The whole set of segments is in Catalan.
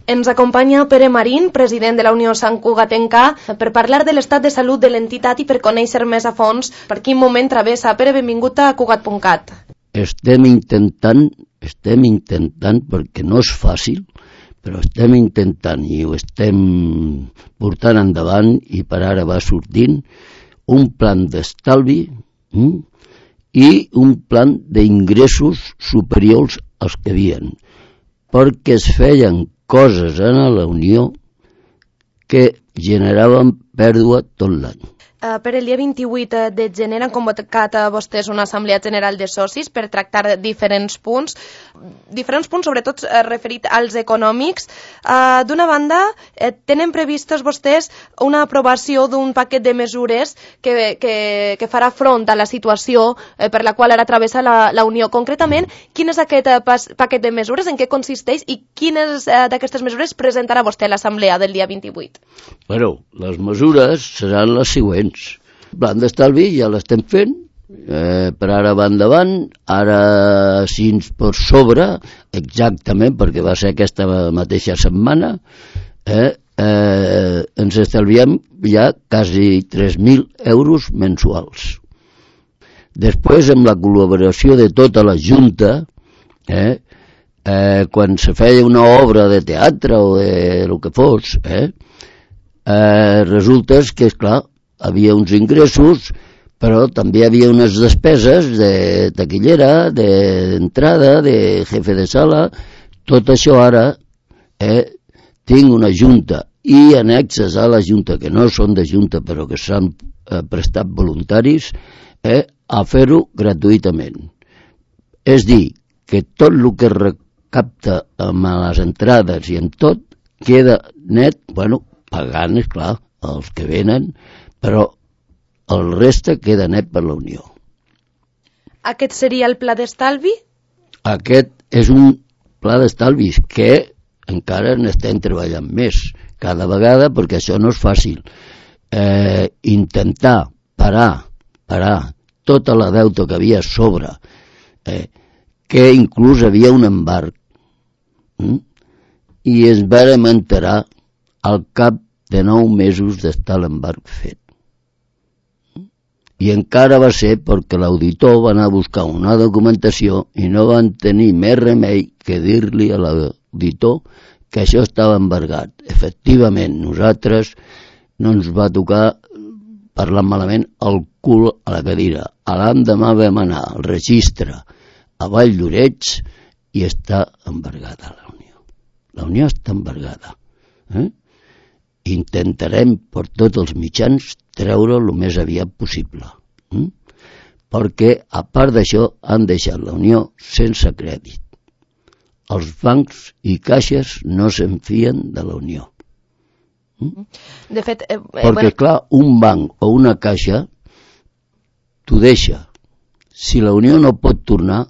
Ens acompanya Pere Marín, president de la Unió Sant Cugatenca, per parlar de l'estat de salut de l'entitat i per conèixer més a fons per quin moment travessa. Pere, benvingut a Cugat.cat. Estem intentant, perquè no és fàcil, però estem intentant i ho estem portant endavant i per ara va sortint un plan d'estalvi i un plan d'ingressos superiors als que havien, perquè es feien coses en la Unió que generaven pèrdua tot l'any. Per el dia 28 de gener han convocat a vostès una assemblea general de socis per tractar diferents punts sobretot referit als econòmics. D'una banda, tenen previstos vostès una aprovació d'un paquet de mesures que farà front a la situació per la qual ara travessa la Unió. Concretament, quin és aquest paquet de mesures, en què consisteix i quines d'aquestes mesures presentarà vostè a l'assemblea del dia 28? Bueno, les mesures seran les següents. El plan d'estalvi ja l'estem fent, per ara va endavant, ara si ens per sobre, exactament, perquè va ser aquesta mateixa setmana, ens estalviem ja quasi 3.000 euros mensuals. Després, amb la col·laboració de tota la Junta, quan se feia una obra de teatre o de lo que fos, resulta que, esclar, havia uns ingressos, però també hi havia unes despeses de taquillera, d'entrada, de jefe de sala. Tot això ara tinc una junta i annexes a la junta, que no són de junta però que s'han prestat voluntaris, a fer-ho gratuïtament. És dir, que tot el que es recapta amb les entrades i amb tot queda net, pagant, esclar, els que venen, però el reste queda net per la Unió. Aquest seria el pla d'estalvi? Aquest és un pla d'estalvi que encara n'estem treballant més cada vegada, perquè això no és fàcil. Intentar parar tota la deuta que havia a sobre, que inclús havia un embarg, i ens vàrem enterar al cap de 9 mesos d'estar l'embarg fet. I encara va ser perquè l'auditor va anar a buscar una documentació i no van tenir més remei que dir-li a l'auditor que això estava embargat. Efectivament, nosaltres no ens va tocar, parlant malament, el cul a la cadira. A l'endemà vam anar al registre a Vall d'Oreig i està embargada la Unió. La Unió està embargada. Intentarem per tots els mitjans treure el més aviat possible, perquè a part d'això han deixat la Unió sense crèdit. Els bancs i caixes no se'n fien de la Unió. De fet, perquè clar, un banc o una caixa t'ho deixa. Si la Unió no pot tornar,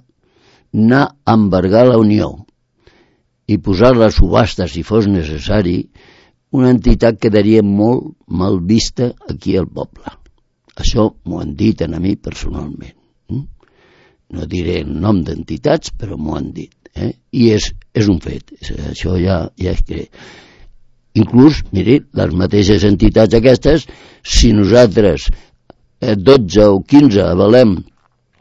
anar a embargar la Unió i posar-la a subhasta si fos necessari, una entitat quedaria molt mal vista aquí al poble. Això m'ho han dit a mi personalment. No diré el nom d'entitats, però m'ho han dit. I és un fet. Això ja és que... Inclús, miri, les mateixes entitats aquestes, si nosaltres 12 o 15 avalem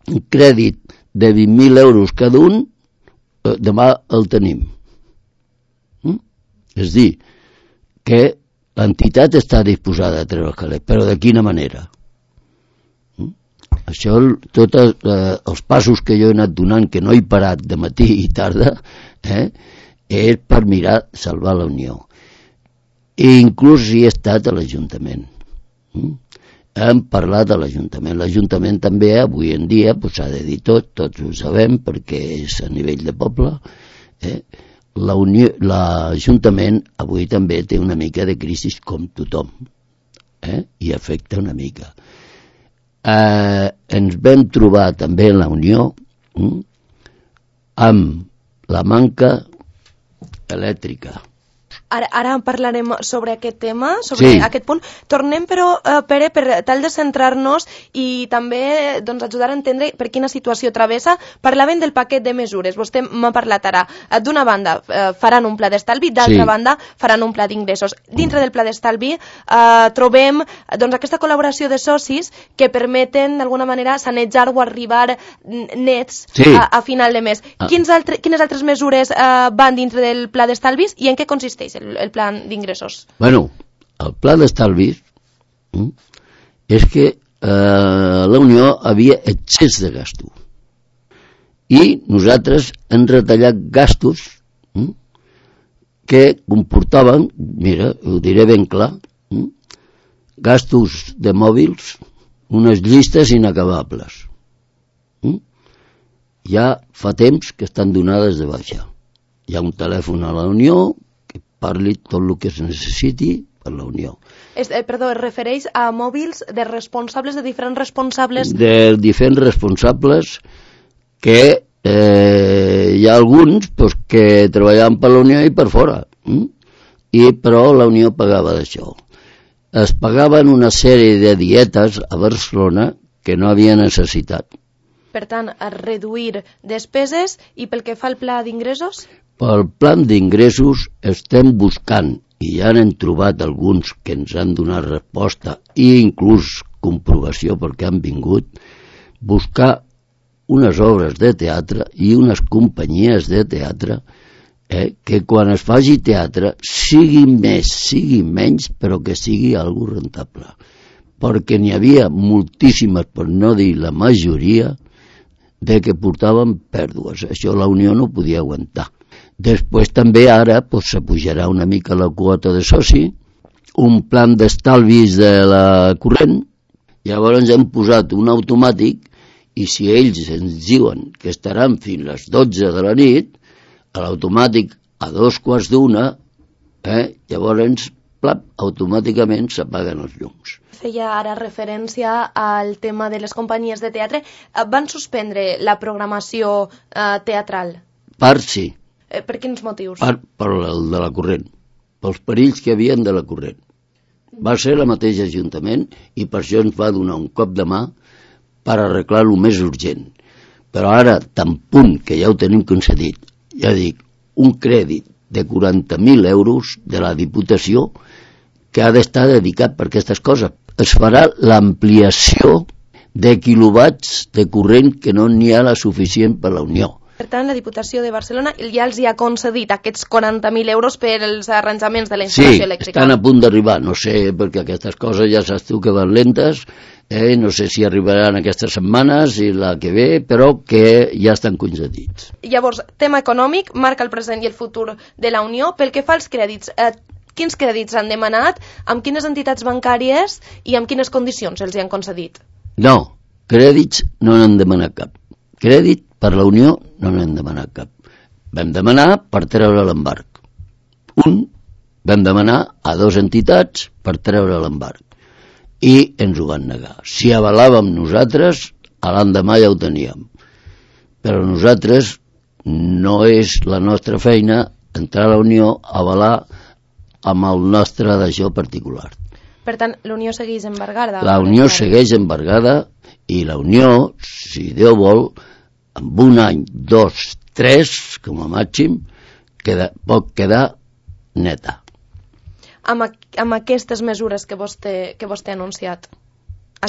un crèdit de 20.000 euros cada un, demà el tenim. És dir, que l'entitat està disposada a treure el calés, però de quina manera? Això, tots els passos que jo he anat donant, que no he parat de matí i tarda, és per mirar salvar la Unió. I inclús hi he estat a l'Ajuntament. Hem parlat a l'Ajuntament. L'Ajuntament també, avui en dia, s'ha de dir tots ho sabem, perquè és a nivell de poble, l'Ajuntament avui també té una mica de crisi com tothom, i afecta una mica. Ens vam trobar també en la Unió amb la manca elèctrica. Ara parlarem sobre aquest tema, sobre aquest punt. Tornem, però, Pere, per tal de centrar-nos i també ajudar a entendre per quina situació travessa. Parlaven del paquet de mesures. Vostè m'ha parlat ara. D'una banda, faran un pla d'estalvi, d'altra banda, faran un pla d'ingressos. Dintre del pla d'estalvi trobem aquesta col·laboració de socis que permeten, d'alguna manera, sanejar o arribar nets a final de mes. Quines altres mesures van dintre del pla d'estalvis i en què consisteix el pla d'ingressos? Bueno, el pla d'estalvis és que la Unió havia excés de gastos i nosaltres hem retallat gastos que comportaven, mira, ho diré ben clar, gastos de mòbils, unes llistes inacabables. Ja fa temps que estan donades de baixa. Hi ha un telèfon a la Unió que parli tot el que es necessiti per la Unió. Perdó, es refereix a mòbils de responsables, de diferents responsables? De diferents responsables que hi ha alguns que treballaven per la Unió i per fora, però la Unió pagava d'això. Es pagaven una sèrie de dietes a Barcelona que no havia necessitat. Per tant, a reduir despeses. I pel que fa al pla d'ingressos? Pel pla d'ingressos estem buscant, i ja n'hem trobat alguns que ens han donat resposta i inclús comprovació perquè han vingut, buscar unes obres de teatre i unes companyies de teatre que quan es faci teatre sigui més, sigui menys, però que sigui algo rentable. Perquè n'hi havia moltíssimes, per no dir la majoria, de que portaven pèrdues. Això la Unió no podia aguantar. Després també ara s'apujarà una mica la quota de soci, un plan d'estalvis de la corrent, llavors hem posat un automàtic i si ells ens diuen que estaran fins les 12 de la nit, a l'automàtic a 2:15, llavors automàticament s'apaguen els llums. Feia ara referència al tema de les companyies de teatre. Van suspendre la programació teatral? Part sí. Per quins motius? Per el de la corrent, pels perills que havien de la corrent. Va ser el mateix Ajuntament i per això ens va donar un cop de mà per arreglar-lo més urgent. Però ara, tan punt que ja ho tenim concedit, ja dic, un crèdit de 40.000 euros de la Diputació que ha d'estar dedicat per aquestes coses. Es farà l'ampliació de quilowatts de corrent que no n'hi ha la suficient per la Unió. Per tant, la Diputació de Barcelona ja els hi ha concedit aquests 40.000 euros per als arranjaments de la instal·lació elèctrica. Sí, estan a punt d'arribar, no sé, perquè aquestes coses ja saps tu que van lentes, no sé si arribaran aquestes setmanes i la que ve, però que ja estan concedits. Llavors, tema econòmic, marca el present i el futur de la Unió. Pel que fa als crèdits, quins crèdits han demanat, amb quines entitats bancàries i amb quines condicions els hi han concedit? No, crèdits no n'han demanat cap. Crèdit per la Unió no n'hem demanat cap. Vam demanar per treure l'embarg. Vam demanar a 2 entitats per treure l'embarg. I ens ho van negar. Si avalàvem nosaltres, a l'endemà ja ho teníem. Però nosaltres no és la nostra feina entrar a la Unió a avalar amb el nostre d'això particular. Per tant, la Unió segueix embargada? La Unió segueix embargada i la Unió, si Déu vol, en un any, 2, 3, com a màxim, pot quedar neta. Amb aquestes mesures que vostè ha anunciat?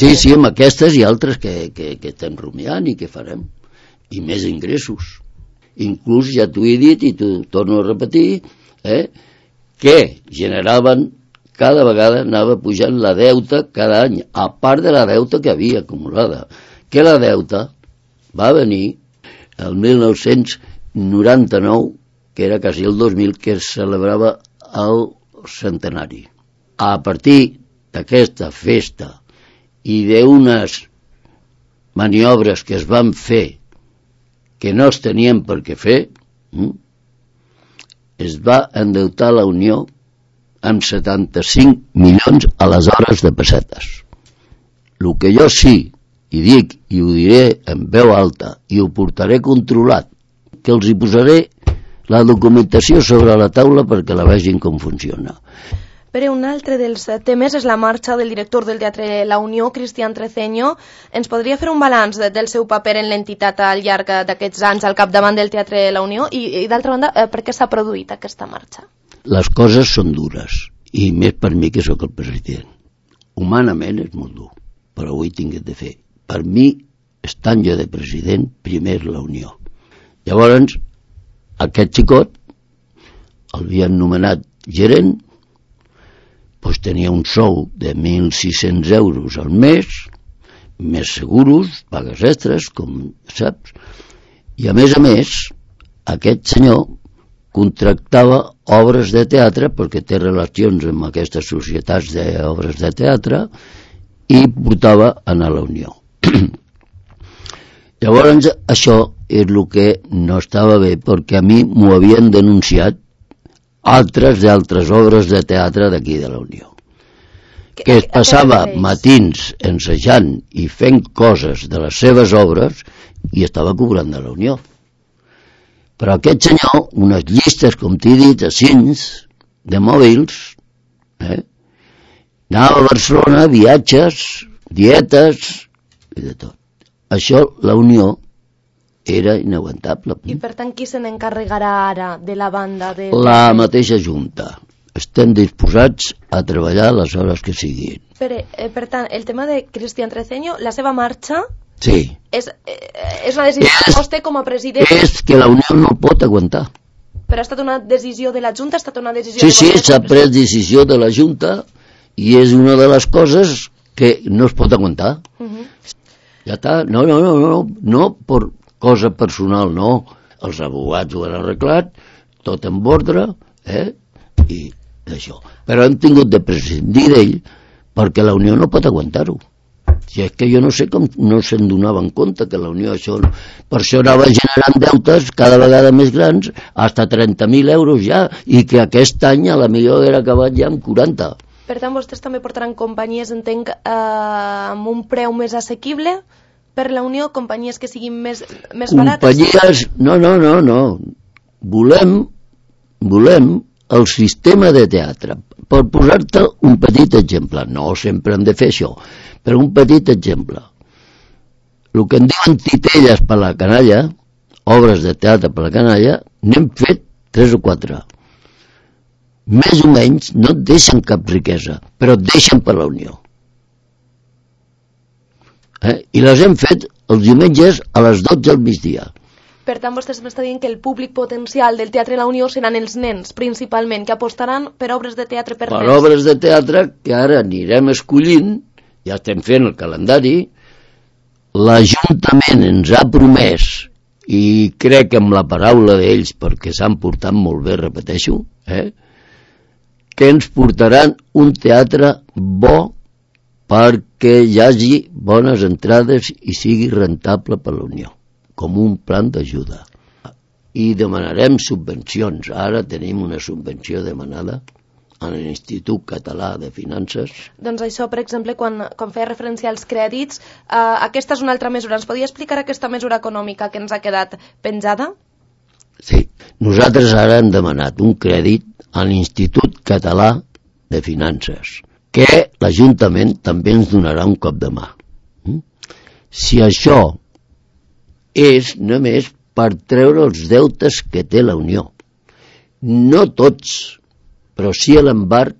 Sí, amb aquestes i altres que estem rumiant i que farem. I més ingressos. Inclús, ja t'ho he dit i t'ho torno a repetir, que generaven, cada vegada anava pujant la deuta cada any, a part de la deuta que havia acumulada. Que la deuta va venir el 1999, que era quasi el 2000, que es celebrava el centenari. A partir d'aquesta festa i d'unes maniobres que es van fer que no es tenien per què fer, es va endeutar la Unió amb 75 milions aleshores de pessetes. El que jo sí i dic, i ho diré en veu alta, i ho portaré controlat, que els hi posaré la documentació sobre la taula perquè la vegin com funciona. Però un altre dels temes és la marxa del director del Teatre La Unió, Cristian Treceño. Ens podria fer un balanç del seu paper en l'entitat al llarg d'aquests anys al capdavant del Teatre La Unió i d'altra banda, per què s'ha produït aquesta marxa? Les coses són dures, i més per mi que sóc el president. Humanament és molt dur, però ho he tingut de fer. Per mi, estant jo de president, primer és la Unió. Llavors, aquest xicot l'havien nomenat gerent, doncs tenia un sou de 1.600 euros al mes, més seguros, pagues extres, com saps, i a més, aquest senyor contractava obres de teatre, perquè té relacions amb aquestes societats d'obres de teatre, i portava a la Unió. Llavors, això és el que no estava bé, perquè a mi m'ho havien denunciat d'altres obres de teatre d'aquí de la Unió. Que es passava matins ensejant i fent coses de les seves obres i estava cobrant de la Unió. Però aquest senyor, unes llistes, com t'he dit, de cins, de mòbils, anava a Barcelona, viatges, dietes i de tot. Això, la Unió, era inaguantable. I per tant, qui se n'encarregarà ara de la banda? La mateixa Junta. Estem disposats a treballar les hores que siguin. Per tant, el tema de Cristian Treceño, la seva marxa... Sí. És una decisió que vostè com a president... És que la Unió no pot aguantar. Però ha estat una decisió de la Junta? Ha estat una decisió Sí, s'ha pres decisió de la Junta i és una de les coses que no es pot aguantar. Ja està. No per cosa personal, no. Els abogats ho han arreglat, tot en ordre, i d'això. Però hem tingut de prescindir d'ell perquè la Unió no pot aguantar-ho. Si és que jo no sé com no se'n donaven compte que la Unió per això anava generant deutes cada vegada més grans, fins a 30.000 euros ja, i que aquest any a la millor era acabat ja amb 40. Per tant, vostès també portaran companyies, entenc, amb un preu més assequible per la Unió, companyies que siguin més barates? Companyies... No. Volem el sistema de teatre. Per posar-te un petit exemple, no sempre hem de fer això, però un petit exemple. El que en diuen titelles per la canalla, obres de teatre per la canalla, n'hem fet 3 o 4. Més o menys no et deixen cap riquesa, però et deixen per la Unió. I les hem fet els diumenges a les 12 al migdia. Per tant, vostè m'està dient que el públic potencial del Teatre La Unió seran els nens, principalment, que apostaran per obres de teatre per nens. Per obres de teatre que ara anirem escollint, ja estem fent el calendari, l'Ajuntament ens ha promès, i crec amb la paraula d'ells, perquè s'han portat molt bé, repeteixo, que ens portaran un teatre bo perquè hi hagi bones entrades i sigui rentable per la Unió, com un plan d'ajuda. I demanarem subvencions. Ara tenim una subvenció demanada a l'Institut Català de Finances. Doncs això, per exemple, quan feia referència als crèdits, aquesta és una altra mesura. Ens podria explicar aquesta mesura econòmica que ens ha quedat penjada? Sí. Nosaltres ara hem demanat un crèdit a l'Institut Català de Finances, que l'Ajuntament també ens donarà un cop de mà. Si això és només per treure els deutes que té la Unió, no tots, però sí l'embarg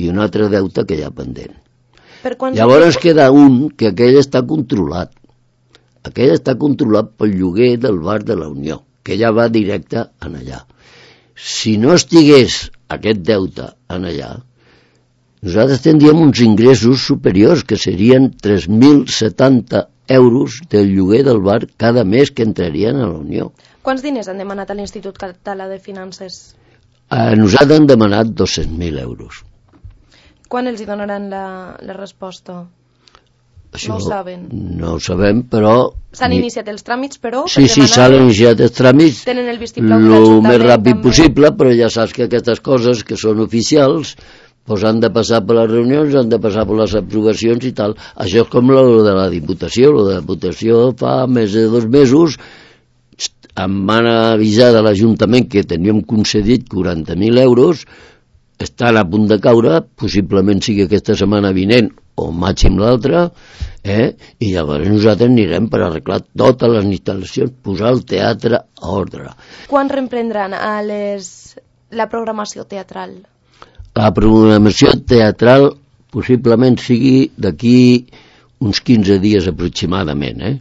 i un altre deute que hi ha pendent. Llavors queda un que aquell està controlat. Aquell està controlat pel lloguer del bar de la Unió, que ja va directe en allà. Si no estigués aquest deute en allà, nosaltres tindríem uns ingressos superiors, que serien 3.070 euros del lloguer del bar cada mes que entrarien a la Unió. Quants diners han demanat a l'Institut Català de Finances? Nosaltres hem demanat 200.000 euros. Quan els hi donaran la resposta? Això no ho saben. No ho sabem, però... S'han iniciat els tràmits, però... Sí, s'han iniciat els tràmits tenen el vistiplau de l'Ajuntament el més ràpid possible, però ja saps que aquestes coses que són oficials doncs han de passar per les reunions, han de passar per les aprovacions i tal. Això és com lo de la Diputació. Lo de la Diputació fa més de 2 mesos em van avisar de l'Ajuntament que teníem concedit 40.000 euros, estan a punt de caure, possiblement sigui aquesta setmana vinent o màxim l'altra, i llavors nosaltres anirem per arreglar totes les instal·lacions, posar el teatre a ordre. Quan reprendran la programació teatral? La programació teatral possiblement sigui d'aquí uns 15 dies aproximadament,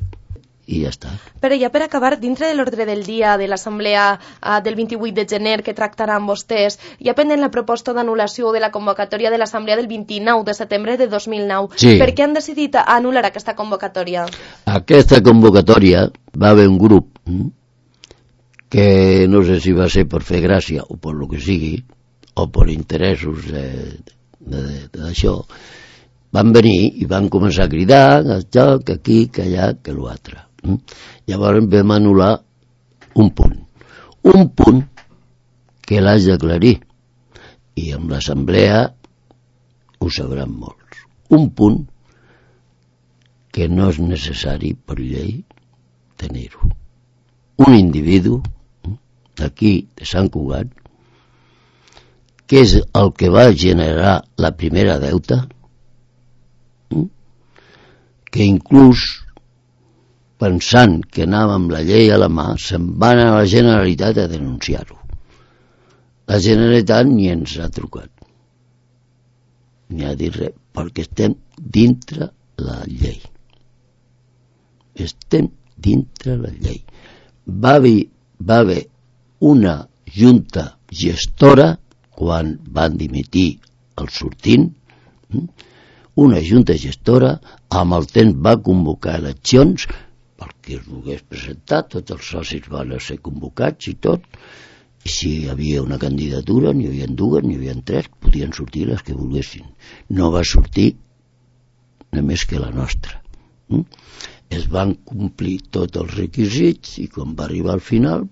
i ja està. Però ja per acabar, dintre de l'ordre del dia de l'assemblea del 28 de gener que tractaran vostès, hi ha pendent la proposta d'anul·lació de la convocatòria de l'assemblea del 29 de setembre de 2009. Sí. Per què han decidit anul·lar aquesta convocatòria? Aquesta convocatòria va haver un grup que no sé si va ser per fer gràcia o per lo que sigui, o per interessos d'això, van venir i van començar a cridar això, que aquí, que allà, que l'altre. Llavors vam anul·lar un punt que l'haig d'aclarir, i amb l'assemblea ho sabran molts. Un punt que no és necessari per llei tenir-ho. Un individu d'aquí, de Sant Cugat, que és el que va generar la primera deuta, que inclús pensant que anava amb la llei a la mà, se'n va anar a la Generalitat a denunciar-ho. La Generalitat ni ens ha trucat, ni ha dit res, perquè estem dintre la llei. Estem dintre la llei. Va haver una junta gestora quan van dimitir el sortint, una junta gestora amb el temps va convocar eleccions perquè es volgués presentar, tots els socis van ser convocats i tot, i si hi havia una candidatura, n'hi havia dues, n'hi havia tres, podien sortir les que volguessin. No va sortir només que la nostra. Es van complir tots els requisits i quan va arribar al final,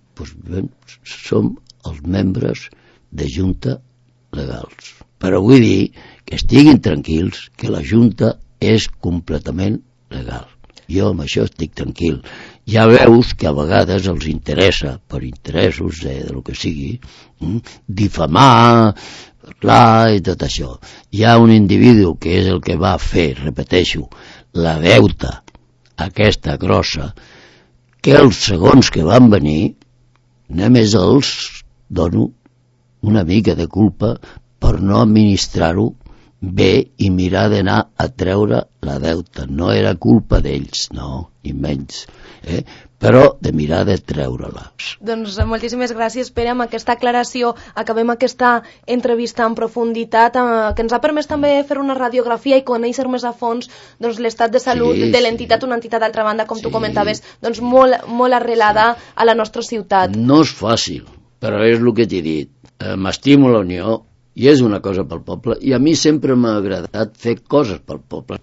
som els membres de junta legals. Però vull dir que estiguin tranquils que la junta és completament legal. Jo amb això estic tranquil. Ja veus que a vegades els interessa, per interessos del que sigui, difamar, parlar i tot això. Hi ha un individu que és el que va fer, repeteixo, la deuta aquesta grossa, que els segons que van venir només els dono una mica de culpa per no administrar-ho bé i mirar d'anar a treure la deuta. No era culpa d'ells, no, ni menys, però de mirar de treure-la. Doncs moltíssimes gràcies, Pere. Amb aquesta aclaració acabem aquesta entrevista en profunditat que ens ha permès també fer una radiografia i conèixer més a fons l'estat de salut de l'entitat, una entitat d'altra banda, com tu comentaves, doncs molt arrelada a la nostra ciutat. No és fàcil, però és el que t'he dit. M'estimo la Unió i és una cosa pel poble, i a mi sempre m'ha agradat fer coses pel poble.